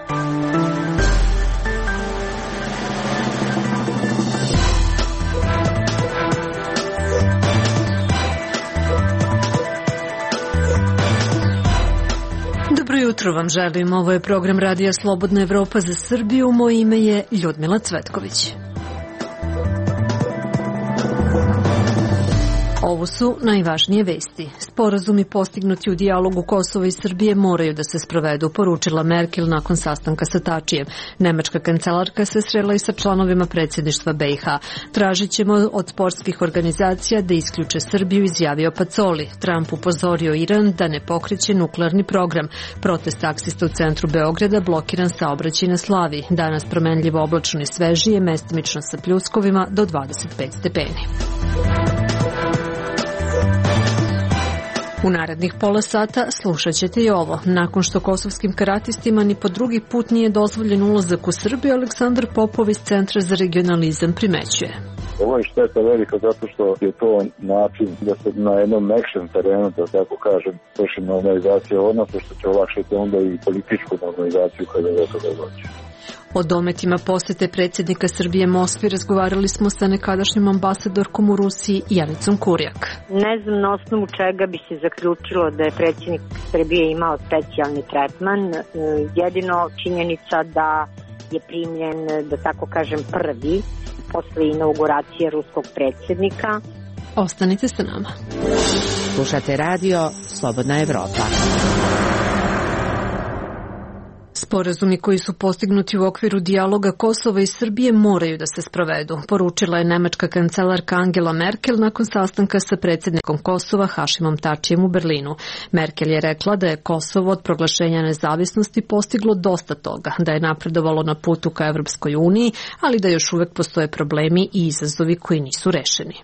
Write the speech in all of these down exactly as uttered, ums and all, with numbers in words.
Dobro jutro vam želim, ovo je program Radija Slobodna Evropa za Srbiju, moje ime je Ljudmila Cvetković. Ovo su najvažnije vesti. Sporazumi postignuti u dijalogu Kosova i Srbije moraju da se sprovedu, poručila Merkel nakon sastanka sa Tačijem. Nemačka kancelarka se srela i sa članovima predsjedništva B i H. Tražit ćemo od sportskih organizacija da isključe Srbiju, izjavio Pacoli. Trump upozorio Iran da ne pokreće nuklearni program. Protest taksista u centru Beograda, blokiran saobraćaj na Slaviji. Danas promenljivo oblačno i svežije, mestimično sa pljuskovima do dvadeset pet stepeni. U narednih pola sata slušat ćete i ovo. Nakon što kosovskim karatistima ni po drugi put nije dozvoljen ulazak u Srbiju, Aleksandar Popov iz Centra za regionalizam primećuje. Ovo je šteta velika zato što je to način da se na jednom mekšem terenu, da tako kažem, vrši normalizacija odnosa, što će olakšati onda i političku normalizaciju kada je to dođe. O dometima posete predsjednika Srbije Moskvi razgovarali smo sa nekadašnjom ambasadorkom u Rusiji Janicom Kurjak. Ne znam na osnovu čega bi se zaključilo da je predsjednik Srbije imao specijalni tretman. Jedino činjenica da je primljen, da tako kažem, prvi posle inauguracije ruskog predsjednika. Ostanite sa nama. Slušate radio Slobodna Evropa. Sporazumi koji su postignuti u okviru dijaloga Kosova i Srbije moraju da se sprovedu, poručila je nemačka kancelarka Angela Merkel nakon sastanka sa predsjednikom Kosova Hašimom Tačijem u Berlinu. Merkel je rekla da je Kosovo od proglašenja nezavisnosti postiglo dosta toga, da je napredovalo na putu ka Evropskoj uniji, ali da još uvek postoje problemi i izazovi koji nisu rešeni.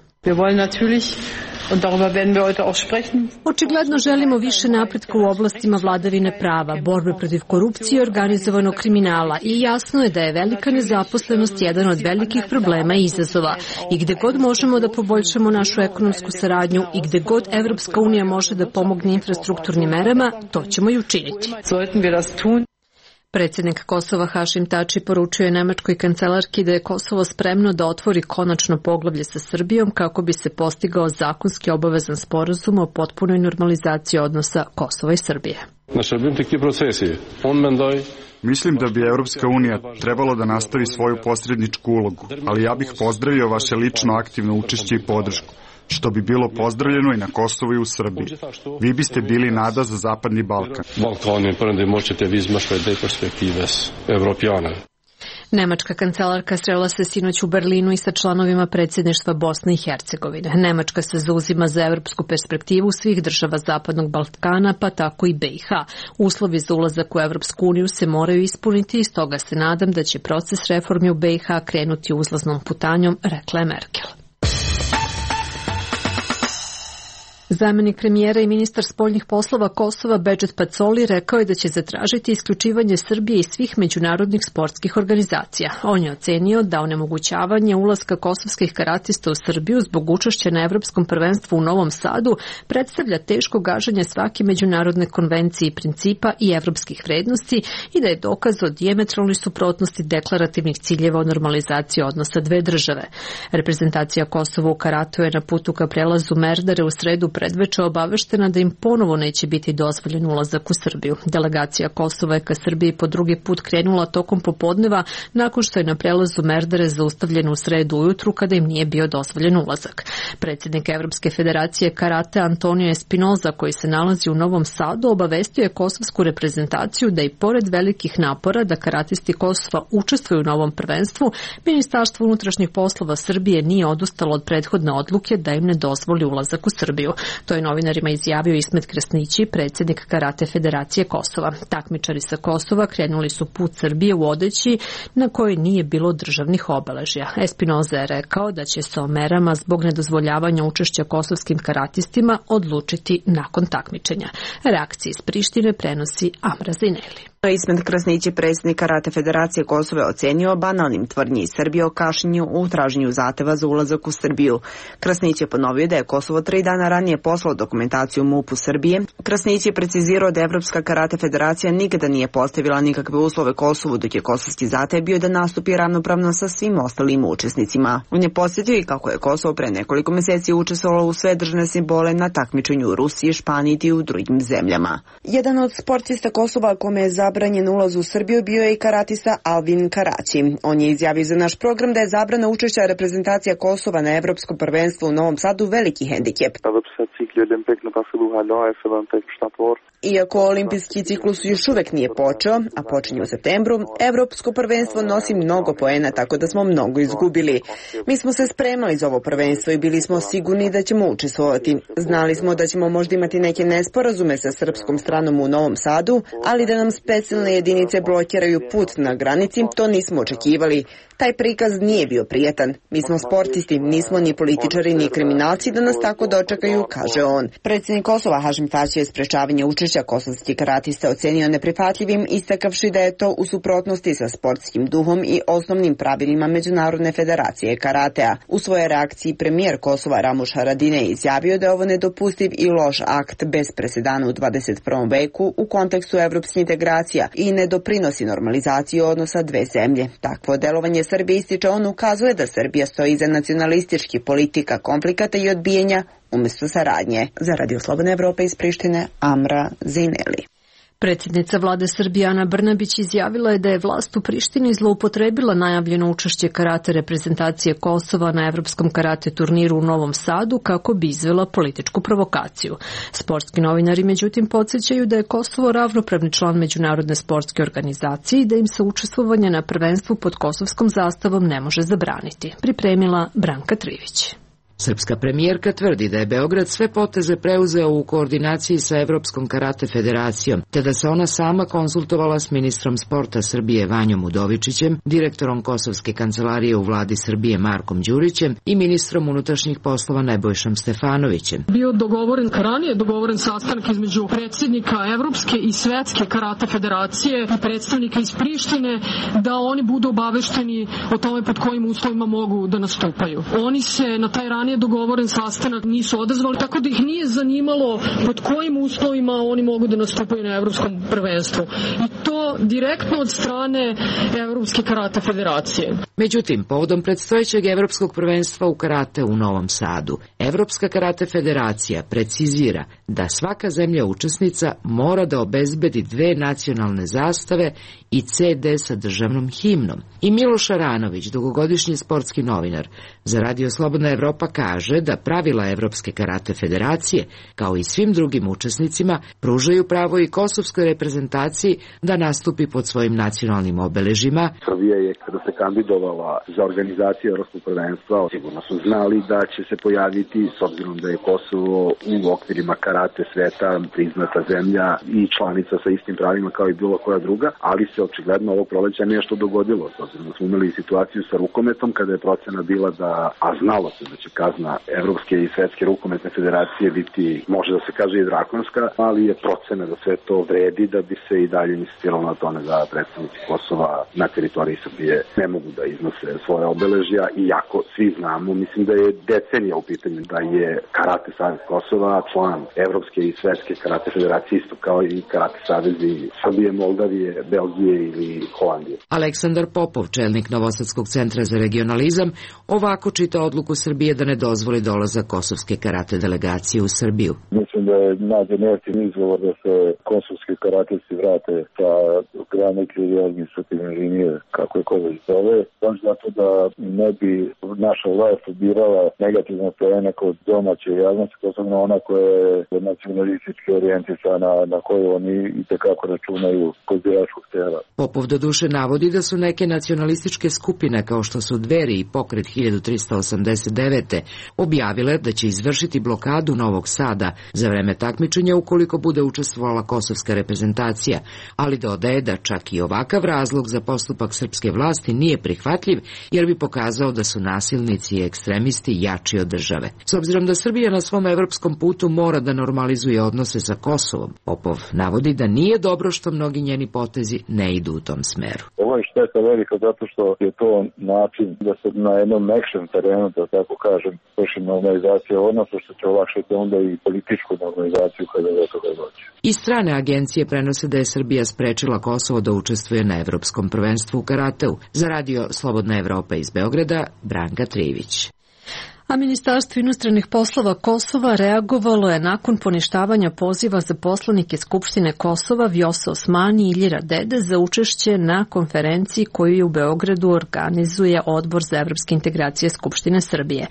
Očigledno želimo više napretka u oblastima vladavine prava, borbe protiv korupcije i organizovanog kriminala i jasno je da je velika nezaposlenost jedan od velikih problema i izazova. I gde god možemo da poboljšamo našu ekonomsku saradnju i gde god Evropska unija može da pomogne infrastrukturnim merama, to ćemo i učiniti. Predsjednik Kosova Hašim Tači poručio je nemačkoj kancelarki da je Kosovo spremno da otvori konačno poglavlje sa Srbijom kako bi se postigao zakonski obavezan sporazum o potpunoj normalizaciji odnosa Kosova i Srbije. Mislim da bi Evropska unija trebalo da nastavi svoju posredničku ulogu, ali ja bih pozdravio vaše lično aktivno učešće i podršku, što bi bilo pozdravljeno i na Kosovu i u Srbiji. Vi biste bili nada za Zapadni Balkan. Nemačka kancelarka srela se sinoć u Berlinu i sa članovima predsjedništva Bosne i Hercegovine. Nemačka se zauzima za evropsku perspektivu svih država Zapadnog Balkana, pa tako i B i H. Uslovi za ulazak u Evropsku uniju se moraju ispuniti i stoga se nadam da će proces reformi u B i H krenuti uzlaznom putanjom, rekla je Merkel. Zamenik premijera i ministar spoljnih poslova Kosova Bedžet Pacoli rekao je da će zatražiti isključivanje Srbije i svih međunarodnih sportskih organizacija. On je ocenio da onemogućavanje ulaska kosovskih karatista u Srbiju zbog učešća na Evropskom prvenstvu u Novom Sadu predstavlja teško gaženje svake međunarodne konvencije i principa i evropskih vrednosti i da je dokaz o dijametralnoj suprotnosti deklarativnih ciljeva o normalizaciji odnosa dve države. Reprezentacija Kosova u karatu je na putu ka prelazu Merdare u sredu predveče obaveštena da im ponovo neće biti dozvoljen ulazak u Srbiju. Delegacija Kosova je ka Srbiji po drugi put krenula tokom popodneva nakon što je na prelazu Merdare zaustavljen u sredu ujutru kada im nije bio dozvoljen ulazak. Predsjednik Evropske federacije karate Antonio Espinoza, koji se nalazi u Novom Sadu, obavestio je kosovsku reprezentaciju da i pored velikih napora da karatisti Kosova učestvuju u novom prvenstvu, Ministarstvo unutrašnjih poslova Srbije nije odustalo od prethodne odluke da im ne dozvoli ulazak u Srbiju. To je novinarima izjavio Ismet Krasnići, predsjednik Karate Federacije Kosova. Takmičari sa Kosova krenuli su put Srbije u odeći na kojoj nije bilo državnih obeležja. Espinoza je rekao da će se o merama zbog nedozvoljavanja učešća kosovskim karatistima odlučiti nakon takmičenja. Reakcije iz Prištine prenosi Amra Zineli. Ismet Krasnić je predsjednik Karate Federacije Kosova ocenio banalnim tvrdnji iz Srbije o kašnjenju u traženju zahteva za ulazak u Srbiju. Krasnić je ponovio da je Kosovo tri dana ranije poslao dokumentaciju MUP-u Srbije. Krasnić je precizirao da Evropska Karate Federacija nikada nije postavila nikakve uslove Kosovu, dok je kosovski zahtev bio da nastupi ravnopravno sa svim ostalim učesnicima. On je podsjetio i kako je Kosovo pre nekoliko meseci učestvovalo u sve državne simbole na takmičenju u Rusiji, Španiji i u drugim zemljama. Jedan od sportista Kosova kome je zabranjen ulaz u Srbiju bio je i karatista Alvin Karaći. On je izjavio za naš program da je zabrana učešća reprezentacija Kosova na Evropskom prvenstvu u Novom Sadu veliki hendikep. Iako olimpijski ciklus još uvek nije počeo, a počinje u septembru, Evropsko prvenstvo nosi mnogo poena, tako da smo mnogo izgubili. Mi smo se spremali za ovo prvenstvo i bili smo sigurni da ćemo učestvovati. Znali smo da ćemo možda imati neke nesporazume sa srpskom stranom u Novom Sadu, ali da nam specijalne jedinice blokiraju put na granici, to nismo očekivali. Taj prikaz nije bio prijatan. Mi smo sportisti, nismo ni političari ni kriminalci da nas tako dočekaju, kaže on. Predsjednik Kosova Hašim Tači je sprečavanje učešća kosovskih karatista ocenio neprihvatljivim, istakavši da je to u suprotnosti sa sportskim duhom i osnovnim pravilima Međunarodne federacije karatea. U svojoj reakciji premijer Kosova Ramuš Haradinaj je izjavio da je ovo nedopustiv i loš akt bez presedana u dvadeset prvom veku u kontekstu evropskih integracija i ne doprinosi normalizaciji odnosa dve zemlje. Takvo delovanje Srbije, ističe on, ukazuje da Srbija stoji iza nacionalističkih politika, konflikata i odbijenja umjesto saradnje. Za Radio Slobodne Evrope iz Prištine, Amra Zineli. Predsjednica vlade Srbije Ana Brnabić izjavila je da je vlast u Prištini zloupotrebila najavljeno učešće karate reprezentacije Kosova na evropskom karate turniru u Novom Sadu kako bi izvela političku provokaciju. Sportski novinari međutim podsjećaju da je Kosovo ravnopravni član Međunarodne sportske organizacije i da im se učestvovanje na prvenstvu pod kosovskom zastavom ne može zabraniti. Pripremila Branka Trivić. Srpska premijerka tvrdi da je Beograd sve poteze preuzeo u koordinaciji sa Evropskom karate federacijom, te da se ona sama konsultovala s ministrom sporta Srbije Vanjom Udovičićem, direktorom Kosovske kancelarije u vladi Srbije Markom Đurićem i ministrom unutrašnjih poslova Nebojšom Stefanovićem. Bio dogovoren, ranije dogovoren sastanak između predsjednika Evropske i Svetske karate federacije i predstavnika iz Prištine da oni budu obavešteni o tome pod kojim uslovima mogu da nastupaju. Oni se na taj ranije dogovoren sastanak nisu odazvali, tako da ih nije zanimalo pod kojim uslovima oni mogu da nastupaju na Evropskom prvenstvu. I to direktno od strane Evropske karate federacije. Međutim, povodom predstojećeg Evropskog prvenstva u karate u Novom Sadu, Evropska karate federacija precizira da svaka zemlja učesnica mora da obezbedi dve nacionalne zastave i ce de sa državnom himnom. I Miloš Aranović, dugogodišnji sportski novinar, za Radio Slobodna Evropa kaže da pravila Evropske karate federacije, kao i svim drugim učesnicima, pružaju pravo i kosovskoj reprezentaciji da nastupi pod svojim nacionalnim obeležima. Srbija je, kada se kandidovala za organizaciju Evropskog prvenstva, sigurno su znali da će se pojaviti, s obzirom da je Kosovo u okvirima karate sveta priznata zemlja i članica sa istim pravima kao i bilo koja druga, ali se očigledno ovog proleća nešto dogodilo, s obzirom da smo imali situaciju sa rukometom kada je procena bila da, a znalo se da će kazna Evropske i Svetske rukometne federacije biti, može da se kaže i drakonska, ali je procena da sve to vredi da bi se i dalje insistiralo na tome da predstavnici Kosova na teritoriji Srbije ne mogu da iznose svoje obeležja, iako svi znamo, mislim da je decenija u pitanju da je Karate savez Kosova član Evropske i Svetske karate federacije, isto kao i Karate savezi Srbije, Moldavije, Belgije ili Holandije. Aleksandar Popov, čelnik Novosadskog centra za regionalizam, ovako čita odluku Srbije da ne dozvoli dolazak kosovske karate delegacije u Srbiju. Mislim da je nađen jeftin izgovor da se kosovski karatisti vrate sa granice ili administrativne linije, kako je ko već zove, baš zato da ne bi naša vlast odbirala negativne poene kod domaće javnosti, posebno ona koja je nacionalistički orijentisana, na koju oni itekako računaju kod biračkog tela. Popov doduše navodi da su neke nacionalističke skupine, kao što su Dveri i Pokret hiljadu trista osamdeset devete, objavile da će izvršiti blokadu Novog Sada za vreme takmičenja ukoliko bude učestvovala kosovska reprezentacija, ali dodaje da čak i ovakav razlog za postupak srpske vlasti nije prihvatljiv, jer bi pokazao da su nasilnici i ekstremisti jači od države. S obzirom da Srbija na svom evropskom putu mora da normalizuje odnose sa Kosovom. Popov navodi da nije dobro što mnogi njeni potezi ne idu u tom smeru. Ovo je šteta velika zato što je to način da se na jednom mekšem terenu, da tako kažem, vrši normalizacija odnosa, što će olakšati onda i političku normalizaciju kada do toga dođe. I strane agencije prenose da je Srbija sprečila Kosovo da učestvuje na Evropskom prvenstvu u karateu. Za radio Slobodna Evropa iz Beograda, Branka Trivić. A Ministarstvo inostranih poslova Kosova reagovalo je nakon poništavanja poziva za poslanike Skupštine Kosova Vjosa Osmani i Iljira Dede za učešće na konferenciji koju je u Beogradu organizuje Odbor za evropske integracije Skupštine Srbije.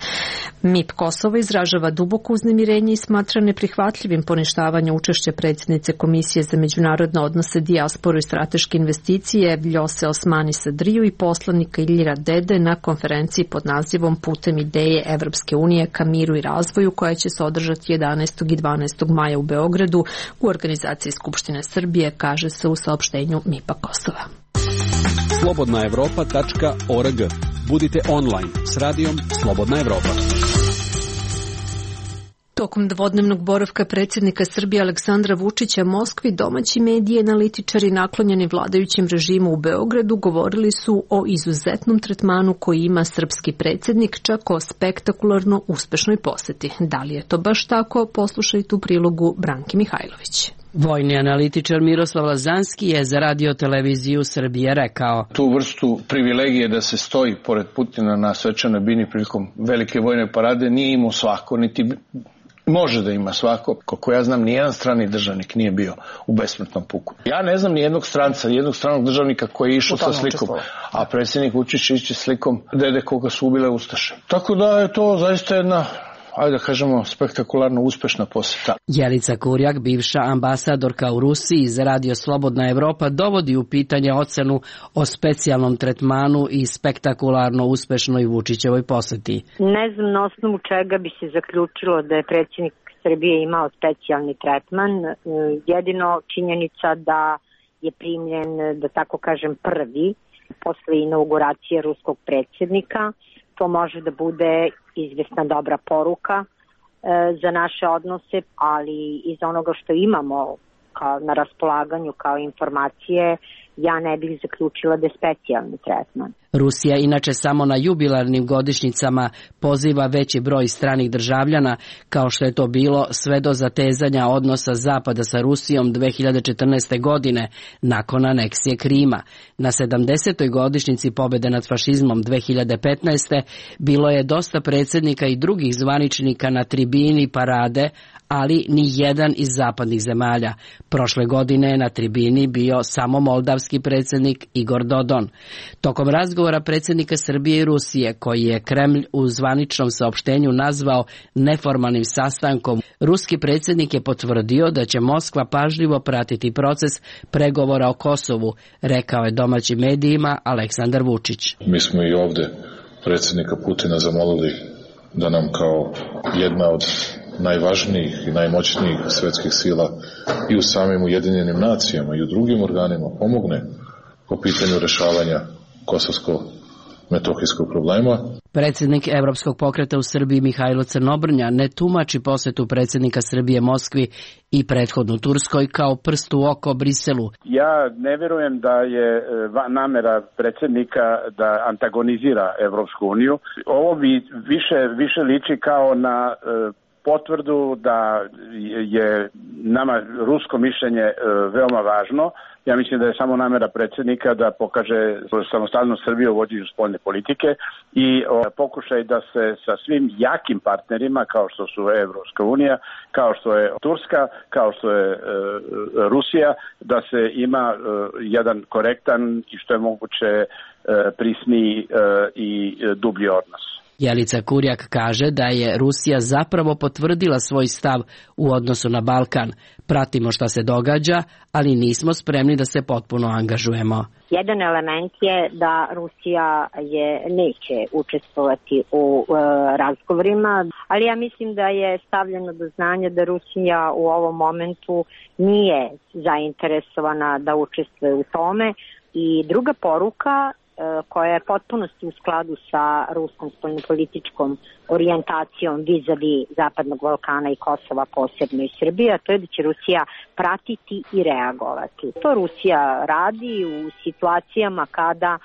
M I P Kosova izražava duboko uznemirenje i smatra neprihvatljivim poništavanje učešća predsjednice Komisije za međunarodne odnose, dijasporu i strateške investicije Vjose Osmani Sadriju i poslanika Iljira Dede na konferenciji pod nazivom Putem ideje Evropske unije ka miru i razvoju, koja će se održati jedanaestog i dvanaestog maja u Beogradu u organizaciji Skupštine Srbije, kaže se u saopštenju M I P-a Kosova. slobodna evropa tačka org. Budite online s radijom Slobodna Evropa. Tokom dvodnevnog boravka predsjednika Srbije Aleksandra Vučića Moskvi, domaći mediji i analitičari naklonjeni vladajućem režimu u Beogradu govorili su o izuzetnom tretmanu koji ima srpski predsjednik, čak o spektakularno uspešnoj poseti. Da li je to baš tako? Poslušajte u prilogu Branki Mihajlović. Vojni analitičar Miroslav Lazanski je za radio televiziju Srbije rekao: Tu vrstu privilegije da se stoji pored Putina na svečanoj bini prilikom velike vojne parade nije imao svako, niti može da ima svako. Koliko ja znam, nijedan strani državnik nije bio u besmrtnom puku. Ja ne znam nijednog stranca, nijednog stranog državnika koji je išao sa slikom, a predsjednik Vučić ići slikom dede koga su ubile ustaše. Tako da je to zaista jedna, ajde da kažemo, spektakularno uspešna poseta. Jelica Kurjak, bivša ambasadorka u Rusiji za radio Slobodna Evropa, dovodi u pitanje ocenu o specijalnom tretmanu i spektakularno uspešnoj Vučićevoj poseti. Ne znam na osnovu čega bi se zaključilo da je predsjednik Srbije imao specijalni tretman. Jedino činjenica da je primljen, da tako kažem, prvi posle inauguracije ruskog predsjednika. To može da bude izvesna dobra poruka e, za naše odnose, ali iz onoga što imamo kao na raspolaganju kao informacije, ja ne bih zaključila da je specijalni tretman. Rusija inače samo na jubilarnim godišnjicama poziva veći broj stranih državljana, kao što je to bilo sve do zatezanja odnosa Zapada sa Rusijom dve hiljade četrnaeste. godine nakon aneksije Krima. Na sedamdesetoj godišnjici pobjede nad fašizmom dve hiljade petnaeste. bilo je dosta predsjednika i drugih zvaničnika na tribini parade, ali ni jedan iz zapadnih zemalja. Prošle godine je na tribini bio samo moldavski predsjednik Igor Dodon. Tokom razgovora predsjednika Srbije i Rusije, koji je Kremlj u zvaničnom saopštenju nazvao neformalnim sastankom, ruski predsjednik je potvrdio da će Moskva pažljivo pratiti proces pregovora o Kosovu, rekao je domaćim medijima Aleksandar Vučić. Mi smo i ovdje predsjednika Putina zamolili da nam kao jedna od najvažnijih i najmoćnijih svjetskih sila i u samim Ujedinjenim nacijama i u drugim organima pomogne po pitanju rješavanja kosovsko-metohijskog problema. Predsjednik Evropskog pokreta u Srbiji Mihajlo Crnobrnja ne tumači posjetu predsjednika Srbije Moskvi i prethodnu Turskoj kao prst u oko Briselu. Ja ne vjerujem da je namera predsjednika da antagonizira Evropsku uniju. Ovo bi više, više liči kao na potvrdu da je nama rusko mišljenje veoma važno. Ja mislim da je samo namera predsjednika da pokaže samostalnu Srbiju u vođenju spoljne politike i pokušaj da se sa svim jakim partnerima kao što su Evropska unija, kao što je Turska, kao što je e, Rusija, da se ima e, jedan korektan i što je moguće e, prisniji e, i dublji odnos. Jelica Kurjak kaže da je Rusija zapravo potvrdila svoj stav u odnosu na Balkan. Pratimo šta se događa, ali nismo spremni da se potpuno angažujemo. Jedan element je da Rusija je neće učestvovati u e, razgovorima, ali ja mislim da je stavljeno do znanja da Rusija u ovom momentu nije zainteresovana da učestvuje u tome. I druga poruka koja je potpunosti u skladu sa ruskom spoljnopolitičkom orijentacijom vis-a-vis Zapadnog Balkana i Kosova, posebno i Srbije, a to je da će Rusija pratiti i reagovati. To Rusija radi u situacijama kada,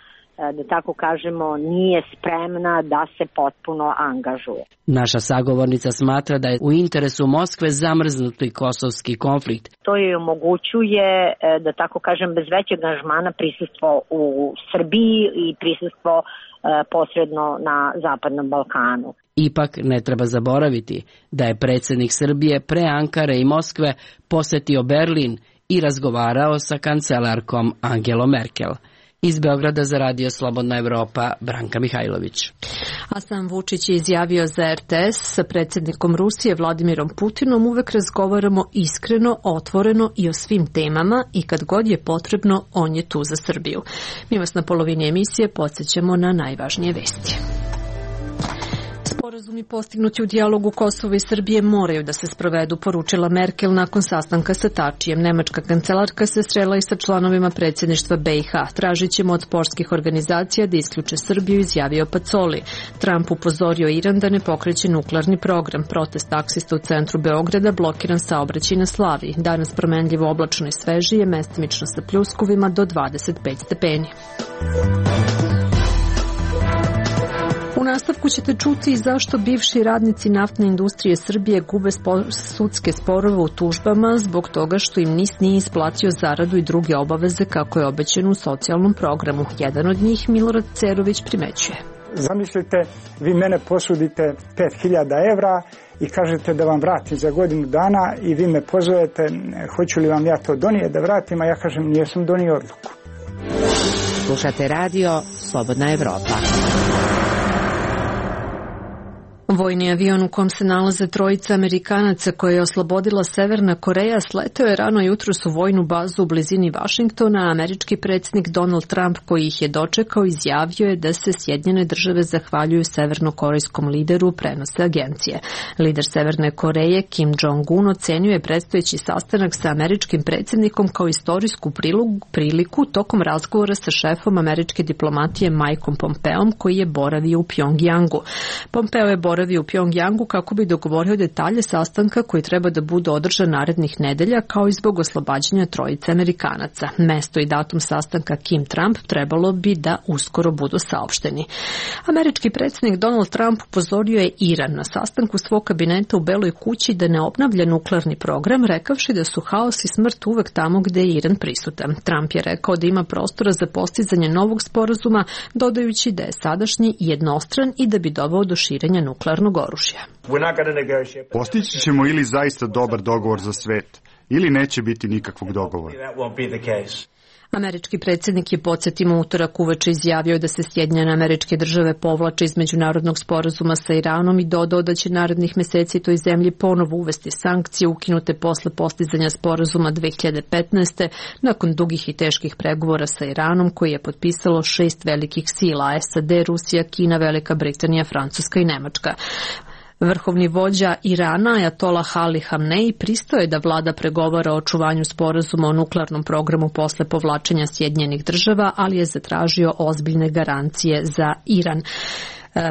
da tako kažemo, nije spremna da se potpuno angažuje. Naša sagovornica smatra da je u interesu Moskve zamrznuti kosovski konflikt. To je omogućuje, da tako kažem, bez većeg angažmana prisustvo u Srbiji i prisustvo posredno na Zapadnom Balkanu. Ipak ne treba zaboraviti da je predsjednik Srbije pre Ankare i Moskve posetio Berlin i razgovarao sa kancelarkom Angelom Merkel. Iz Beograda za Radio Slobodna Evropa, Branka Mihajlović. A sam Vučić je izjavio za R T S: sa predsjednikom Rusije Vladimirom Putinom uvek razgovaramo iskreno, otvoreno i o svim temama i kad god je potrebno, on je tu za Srbiju. Mi vas na polovini emisije podsjećamo na najvažnije vesti. Sporazumi postignuti u dijalogu Kosova i Srbije moraju da se sprovedu, poručila Merkel nakon sastanka sa Tačijem. Nemačka kancelarka se srela i sa članovima predsjedništva B i H. Tražit ćemo od sportskih organizacija da isključe Srbiju, izjavio Pacoli. Trump upozorio Iran da ne pokreće nuklearni program. Protest taksista u centru Beograda, blokiran saobraćaj na Slaviji. Danas promenljivo oblačno i svežije, mestimično sa pljuskovima do dvadeset pet stepeni. U nastavku ćete čuti zašto bivši radnici naftne industrije Srbije gube spo- sudske sporove u tužbama zbog toga što im N I S nije isplatio zaradu i druge obaveze kako je obećano u socijalnom programu. Jedan od njih, Milorad Cerović, primećuje. Zamislite, vi mene posudite pet hiljada evra i kažete da vam vratim za godinu dana i vi me pozovete, hoću li vam ja to donijeti da vratim, a ja kažem nijesam donio odluku. Slušate radio Slobodna Evropa. Vojni avion u kom se nalaze trojica Amerikanaca koje je oslobodila Severna Koreja sleteo je rano jutros u vojnu bazu u blizini Vašingtona, a američki predsjednik Donald Trump, koji ih je dočekao, izjavio je da se Sjedinjene države zahvaljuju severnokorejskom lideru, prenose agencije. Lider Severne Koreje Kim Jong-un ocenio je predstojeći sastanak sa američkim predsjednikom kao istorijsku priliku tokom razgovora sa šefom američke diplomatije Mikeom Pompeom, koji je boravio u Pjongjangu. Pompeo je boravio u Pjongjangu kako bi dogovorio detalje sastanka koji treba da bude održan narednih nedelja, kao i zbog oslobađanja trojice Amerikanaca. Mesto i datum sastanka Kim Trump trebalo bi da uskoro budu saopšteni. Američki predsjednik Donald Trump upozorio je Iran na sastanku svog kabineta u Beloj kući da ne obnavlja nuklearni program, rekavši da su haos i smrt uvek tamo gde je Iran prisutan. Trump je rekao da ima prostora za postizanje novog sporazuma, dodajući da je sadašnji jednostran i da bi doveo do širenja nuklearnog oružja. Postići ćemo ili zaista dobar dogovor za svet, ili neće biti nikakvog dogovora. Američki predsjednik je, podsjetimo, utorak uveče izjavio da se Sjedinjene Američke Države povlače iz međunarodnog sporazuma sa Iranom i dodao da će narednih meseci toj zemlji ponovo uvesti sankcije ukinute posle postizanja sporazuma dve hiljade petnaeste. nakon dugih i teških pregovora sa Iranom koji je potpisalo šest velikih sila: S A D, Rusija, Kina, Velika Britanija, Francuska i Nemačka. Vrhovni vođa Irana, Ajatolah Ali Hamnej, pristao je da vlada pregovara o očuvanju sporazuma o nuklearnom programu posle povlačenja Sjedinjenih država, ali je zatražio ozbiljne garancije za Iran.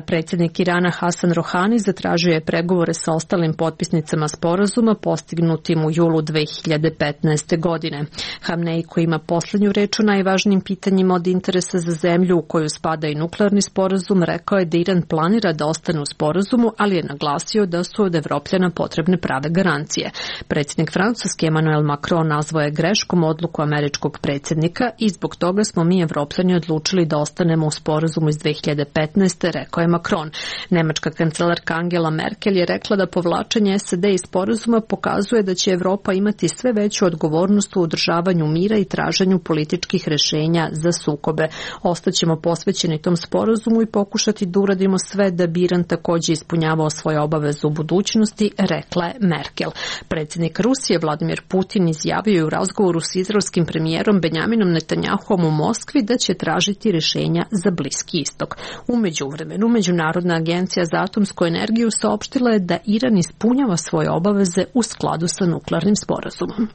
Predsjednik Irana Hasan Rohani zatražio je pregovore sa ostalim potpisnicama sporazuma postignutim u julu dve hiljade petnaeste. godine. Hamnej, koji ima poslednju reč o najvažnijim pitanjima od interesa za zemlju u koju spada i nuklearni sporazum, rekao je da Iran planira da ostane u sporazumu, ali je naglasio da su od Evropljana potrebne prave garancije. Predsjednik Francuske Emmanuel Macron nazvao je greškom odluku američkog predsjednika i zbog toga smo mi Evropljani odlučili da ostanemo u sporazumu iz dve hiljade petnaeste. rekao je Macron. Nemačka kancelarka Angela Merkel je rekla da povlačenje S A D iz sporazuma pokazuje da će Evropa imati sve veću odgovornost u održavanju mira i traženju političkih rešenja za sukobe. Ostaćemo posvećeni tom sporazumu i pokušati da uradimo sve da bi Iran takođe ispunjavao svoje obaveze u budućnosti, rekla je Merkel. Predsjednik Rusije Vladimir Putin izjavio je u razgovoru s izraelskim premijerom Benjaminom Netanjahom u Moskvi da će tražiti rešenja za Bliski istok. U međuvremenu, Međunarodna agencija za atomsku energiju saopštila je da Iran ispunjava svoje obaveze u skladu sa nuklearnim sporazumom.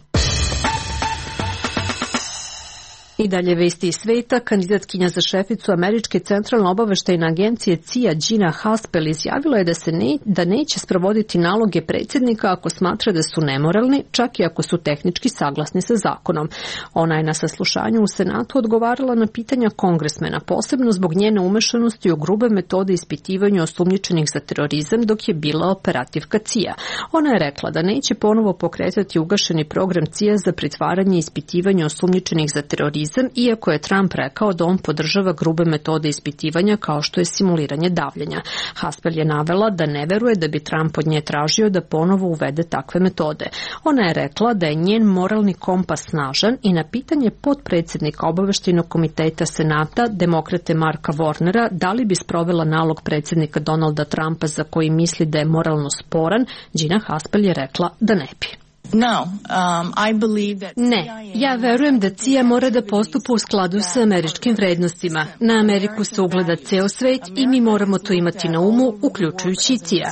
I dalje vesti iz sveta, kandidatkinja za šeficu Američke centralne obaveštajne agencije C I A Gina Haspel izjavila je da se ne, da neće sprovoditi naloge predsjednika ako smatra da su nemoralni, čak i ako su tehnički saglasni sa zakonom. Ona je na saslušanju u Senatu odgovarala na pitanja kongresmena, posebno zbog njene umešanosti u grube metode ispitivanja osumnjičenih za terorizam dok je bila operativka C I A. Ona je rekla da neće ponovo pokretati ugašeni program C I A za pritvaranje i ispitivanje osumnjičenih za terorizam, iako je Trump rekao da on podržava grube metode ispitivanja kao što je simuliranje davljenja. Haspel je navela da ne veruje da bi Trump od nje tražio da ponovo uvede takve metode. Ona je rekla da je njen moralni kompas snažan i na pitanje potpredsjednika obaveštajnog komiteta Senata, demokrate Marka Warnera, da li bi sprovela nalog predsjednika Donalda Trumpa za koji misli da je moralno sporan, Gina Haspel je rekla da ne bi. No, um, I believe that Ne, ja verujem da C I A mora da postupa u skladu sa američkim vrednostima. Na Ameriku se ugleda ceo svet i mi moramo to imati na umu, uključujući C I A.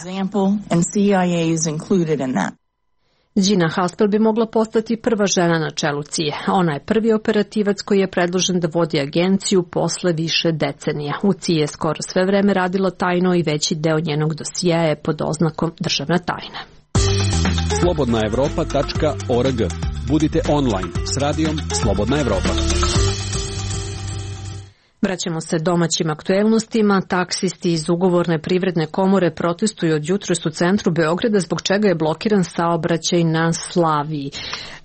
Gina Haspel bi mogla postati prva žena na čelu C I A. Ona je prvi operativac koji je predložen da vodi agenciju posle više decenija. U C I A je skoro sve vreme radila tajno i veći deo njenog dosijea je pod oznakom državna tajna. slobodna evropa tačka org. Budite online s radijom Slobodna Evropa. Vraćamo se domaćim aktuelnostima. Taksisti iz ugovorne privredne komore protestuju od jutros u centru Beograda, zbog čega je blokiran saobraćaj na Slaviji.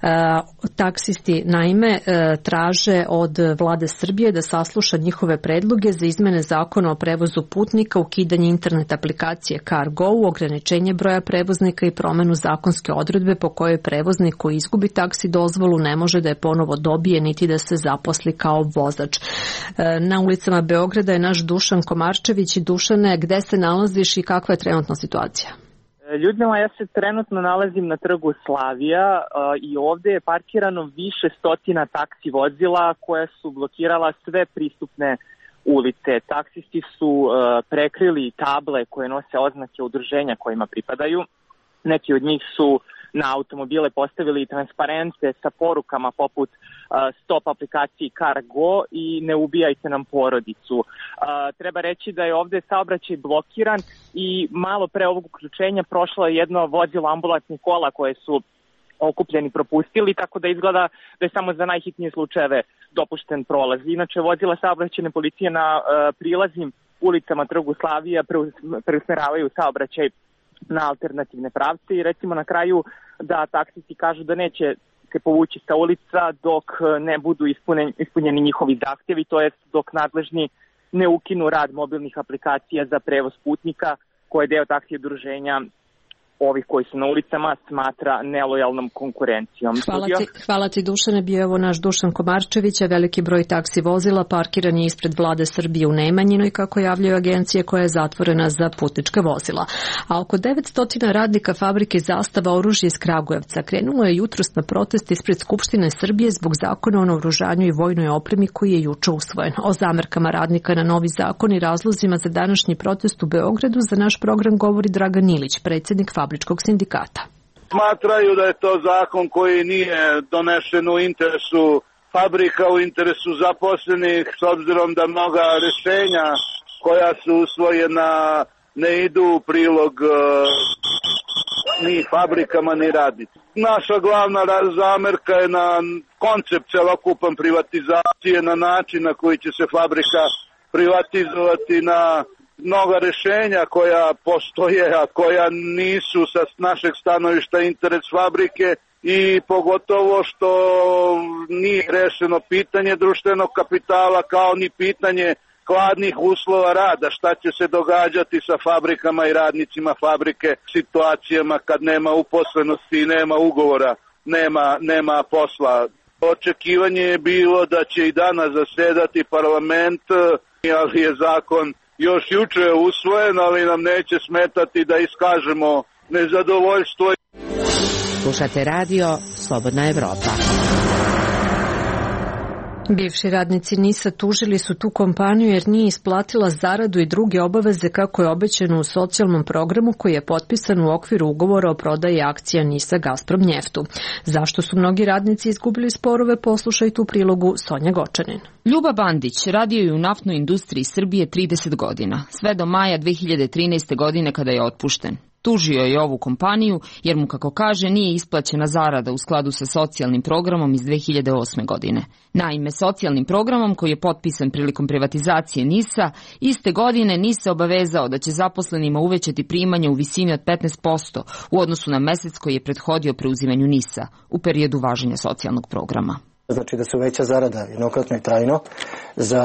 E, taksisti naime e, traže od vlade Srbije da sasluša njihove predloge za izmene zakona o prevozu putnika, ukidanje internet aplikacije CarGo, ograničenje broja prevoznika i promenu zakonske odredbe po kojoj prevoznik koji izgubi taksi dozvolu ne može da je ponovo dobije niti da se zaposli kao vozač. E, na ulicama Beograda je naš Dušan Komarčević. Dušane, gde se nalaziš i kakva je trenutna situacija? Ljudima, ja se trenutno nalazim na trgu Slavija uh, i ovde je parkirano više stotina taksi vozila koja su blokirala sve pristupne ulice. Taksisti su uh, prekrili table koje nose oznake udruženja kojima pripadaju. Neki od njih su na automobile postavili transparente sa porukama poput uh, stop aplikaciji CarGo i ne ubijajte nam porodicu. Uh, treba reći da je ovde saobraćaj blokiran i malo pre ovog uključenja prošlo je jedno vozilo ambulantnih kola koje su okupljeni propustili, tako da izgleda da je samo za najhitnije slučajeve dopušten prolaz. Inače, vozila saobraćajne policije na uh, prilaznim ulicama trgu Slavija preusmeravaju saobraćaj na alternativne pravce i recimo na kraju da taksisti kažu da neće se povući sa ulica dok ne budu ispunjeni, ispunjeni njihovi zahtjevi, to jest dok nadležni ne ukinu rad mobilnih aplikacija za prevoz putnika koje deo taksi udruženja ovih koji su na ulicama smatra nelojalnom konkurencijom. Hvala ti, hvala ti Dušane, bio je ovo naš Dušan Komarčević, a veliki broj taksi vozila parkiran je ispred vlade Srbije u Nemanjinoj, kako javljaju agencije, koja je zatvorena za putnička vozila. A oko devetsto radnika fabrike Zastava oružje iz Kragujevca krenulo je jutros na protest ispred Skupštine Srbije zbog zakona o naoružanju i vojnoj opremi koji je juče usvojen. O zamerkama radnika na novi zakon i razlozima za današnji protest u Beogradu za naš program govori Dragan Ilić, predsjednik fabričkog sindikata. Smatraju da je to zakon koji nije donešen u interesu fabrika, u interesu zaposlenih, s obzirom da mnoga rešenja koja su usvojena ne idu u prilog uh, ni fabrikama ni radnicima. Naša glavna zamerka je na koncept celokupan privatizacije, na način na koji će se fabrika privatizovati, na mnoga rešenja koja postoje, a koja nisu sa našeg stanovišta interes fabrike i pogotovo što nije rešeno pitanje društvenog kapitala kao ni pitanje hladnih uslova rada, šta će se događati sa fabrikama i radnicima fabrike, situacijama kad nema uposlenosti i nema ugovora, nema, nema posla. Očekivanje je bilo da će i danas zasedati parlament, ali je zakon još juče je usvojen, ali nam neće smetati da iskažemo nezadovoljstvo. Slušate radio Slobodna Evropa. Bivši radnici NIS-a tužili su tu kompaniju jer nije isplatila zaradu i druge obaveze kako je obećano u socijalnom programu koji je potpisan u okviru ugovora o prodaji akcija NIS-a Gazprom njeftu. Zašto su mnogi radnici izgubili sporove, poslušajte u prilogu Sonja Gočanin. Ljuba Bandić radio je u naftnoj industriji Srbije trideset godina, sve do maja dve hiljade trinaeste. godine kada je otpušten. Tužio je ovu kompaniju jer mu, kako kaže, nije isplaćena zarada u skladu sa socijalnim programom iz dve hiljade osme. godine. Naime, socijalnim programom koji je potpisan prilikom privatizacije NIS-a, iste godine NIS se obavezao da će zaposlenima uvećati primanja u visini od petnaest posto u odnosu na mesec koji je prethodio preuzimanju NIS-a u periodu važenja socijalnog programa. Znači da se uveća zarada jednokratno i trajno za,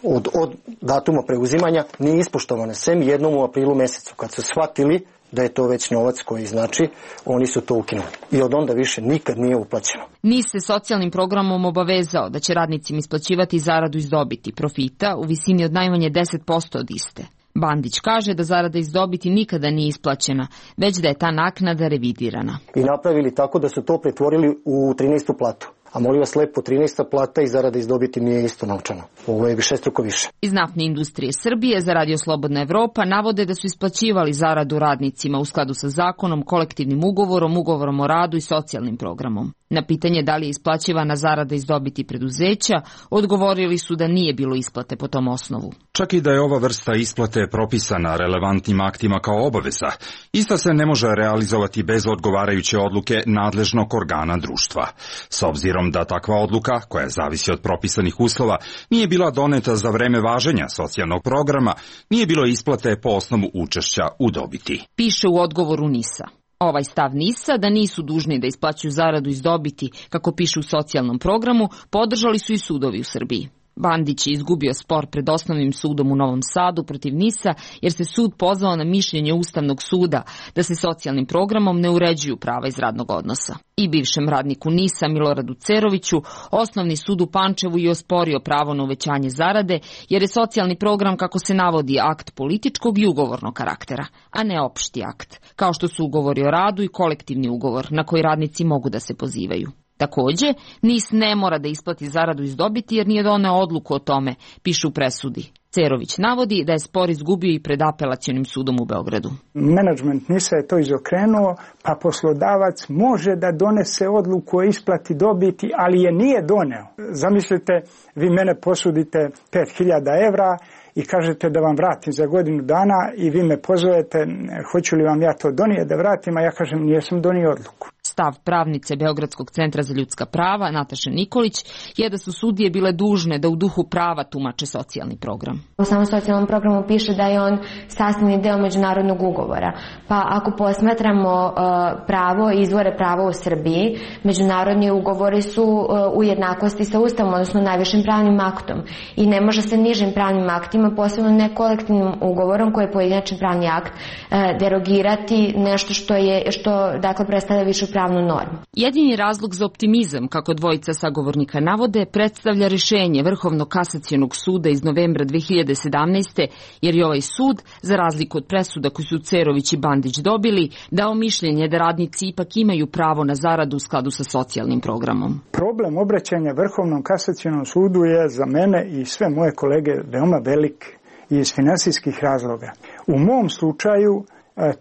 od, od datuma preuzimanja nije ispoštovane, sem jednom u aprilu mesecu. Kad su shvatili da je to već novac koji znači, oni su to ukinuli. I od onda više nikad nije uplaćeno. NIS se socijalnim programom obavezao da će radnicima isplaćivati zaradu iz dobiti profita u visini od najmanje deset posto od iste. Bandić kaže da zarada iz dobiti nikada nije isplaćena, već da je ta naknada revidirana. I napravili tako da su to pretvorili u trinaestu platu. A molim vas lepo, trinaesta plata i zarada iz dobiti mi je isto novčano. Ovo je višestruko više. Iz naftne industrije Srbije za Radio Slobodna Evropa navode da su isplaćivali zaradu radnicima u skladu sa zakonom, kolektivnim ugovorom, ugovorom o radu i socijalnim programom. Na pitanje da li je isplaćivana zarada iz dobiti preduzeća, odgovorili su da nije bilo isplate po tom osnovu. Čak i da je ova vrsta isplate propisana relevantnim aktima kao obaveza, ista se ne može realizovati bez odgovarajuće odluke nadležnog organa društva. S obzirom da takva odluka, koja zavisi od propisanih uslova, nije bila doneta za vreme važenja socijalnog programa, nije bilo isplate po osnovu učešća u dobiti. Piše u odgovoru NIS-a. Ovaj stav NIS-a da nisu dužni da isplaćuju zaradu iz dobiti, kako piše u socijalnom programu, podržali su i sudovi u Srbiji. Bandić je izgubio spor pred osnovnim sudom u Novom Sadu protiv NIS-a jer se sud pozvao na mišljenje Ustavnog suda da se socijalnim programom ne uređuju prava iz radnog odnosa. I bivšem radniku NIS-a Miloradu Ceroviću osnovni sud u Pančevu je osporio pravo na uvećanje zarade jer je socijalni program, kako se navodi, akt političkog i ugovornog karaktera, a ne opšti akt, kao što su ugovori o radu i kolektivni ugovor na koji radnici mogu da se pozivaju. Takođe, NIS ne mora da isplati zaradu iz dobiti jer nije doneo odluku o tome, piše u presudi. Cerović navodi da je spor izgubio i pred apelacionim sudom u Beogradu. Menadžment NIS-a je to izokrenuo, pa poslodavac može da donese odluku o isplati dobiti, ali je nije doneo. Zamislite, vi mene posudite pet hiljada evra i kažete da vam vratim za godinu dana i vi me pozovete, hoću li vam ja to donijeti da vratim, a ja kažem nijesam donio odluku. Stav pravnice Beogradskog centra za ljudska prava, Nataše Nikolić, je da su sudije bile dužne da u duhu prava tumače socijalni program. U samom socijalnom programu piše da je on sastavni deo međunarodnog ugovora. Pa ako posmatramo uh, pravo i izvore prava u Srbiji, međunarodni ugovori su uh, u jednakosti sa Ustavom, odnosno najvišim pravnim aktom. I ne može se nižim pravnim aktima, posebno ne kolektivnim ugovorom koji je pojedinačni pravni akt, uh, derogirati nešto što je, što dakle predstavlja višu pravnu normu. Jedini razlog za optimizam, kako dvojica sagovornika navode, predstavlja rešenje Vrhovnog kasacionog suda iz novembra dve hiljade sedamnaeste. jer je ovaj sud, za razliku od presuda koji su Cerović i Bandić dobili, dao mišljenje da radnici ipak imaju pravo na zaradu u skladu sa socijalnim programom. Problem obraćanja Vrhovnom kasacionom sudu je za mene i sve moje kolege veoma velik i iz finansijskih razloga. U mom slučaju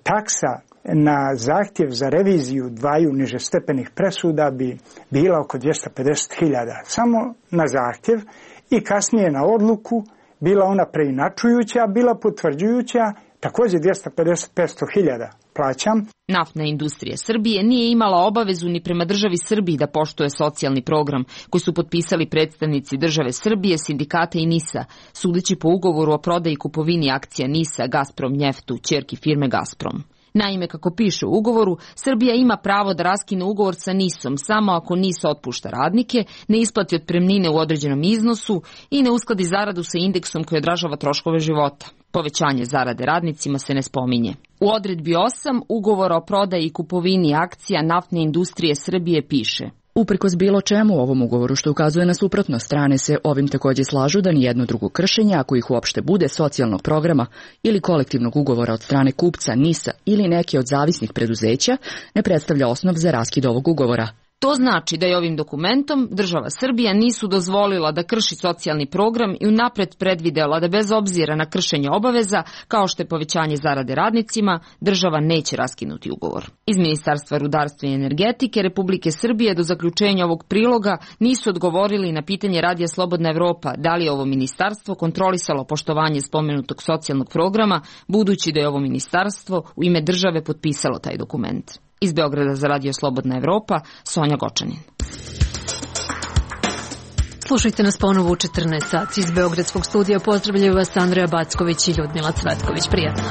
taksa na zahtjev za reviziju dvaju nižestepenih presuda bi bila oko dvjesto pedeset hiljada. Samo na zahtjev i kasnije na odluku, bila ona preinačujuća, bila potvrđujuća, također dvjesto pedeset do petsto hiljada plaćam. Naftna industrija Srbije nije imala obavezu ni prema državi Srbiji da poštuje socijalni program koji su potpisali predstavnici države Srbije, sindikata i NIS-a, sudeći po ugovoru o prodaji i kupovini akcija NIS-a Gazprom njeftu, ćerki firme Gazprom. Naime, kako piše u ugovoru, Srbija ima pravo da raskine ugovor sa NIS-om samo ako NIS otpušta radnike, ne isplati otpremnine u određenom iznosu i ne uskladi zaradu sa indeksom koji odražava troškove života. Povećanje zarade radnicima se ne spominje. U odredbi osam ugovora o prodaji i kupovini akcija naftne industrije Srbije piše: Uprkos bilo čemu u ovom ugovoru što ukazuje na suprotno, strane se ovim također slažu da nijedno drugo kršenje, ako ih uopšte bude, socijalnog programa ili kolektivnog ugovora od strane kupca, NIS-a ili neke od zavisnih preduzeća, ne predstavlja osnov za raskid ovog ugovora. To znači da je ovim dokumentom država Srbija nisu dozvolila da krši socijalni program i unapred predvidela da bez obzira na kršenje obaveza, kao što je povećanje zarade radnicima, država neće raskinuti ugovor. Iz Ministarstva rudarstva i energetike Republike Srbije do zaključenja ovog priloga nisu odgovorili na pitanje Radija Slobodna Evropa da li je ovo ministarstvo kontrolisalo poštovanje spomenutog socijalnog programa, budući da je ovo ministarstvo u ime države potpisalo taj dokument. Iz Beograda za Radio Slobodna Evropa, Sonja Gočanin. Slušajte nas ponovo u četrnaest sati. Iz Beogradskog studija pozdravljaju vas Andreja Backović i Ljudmila Cvetković. Prijatno.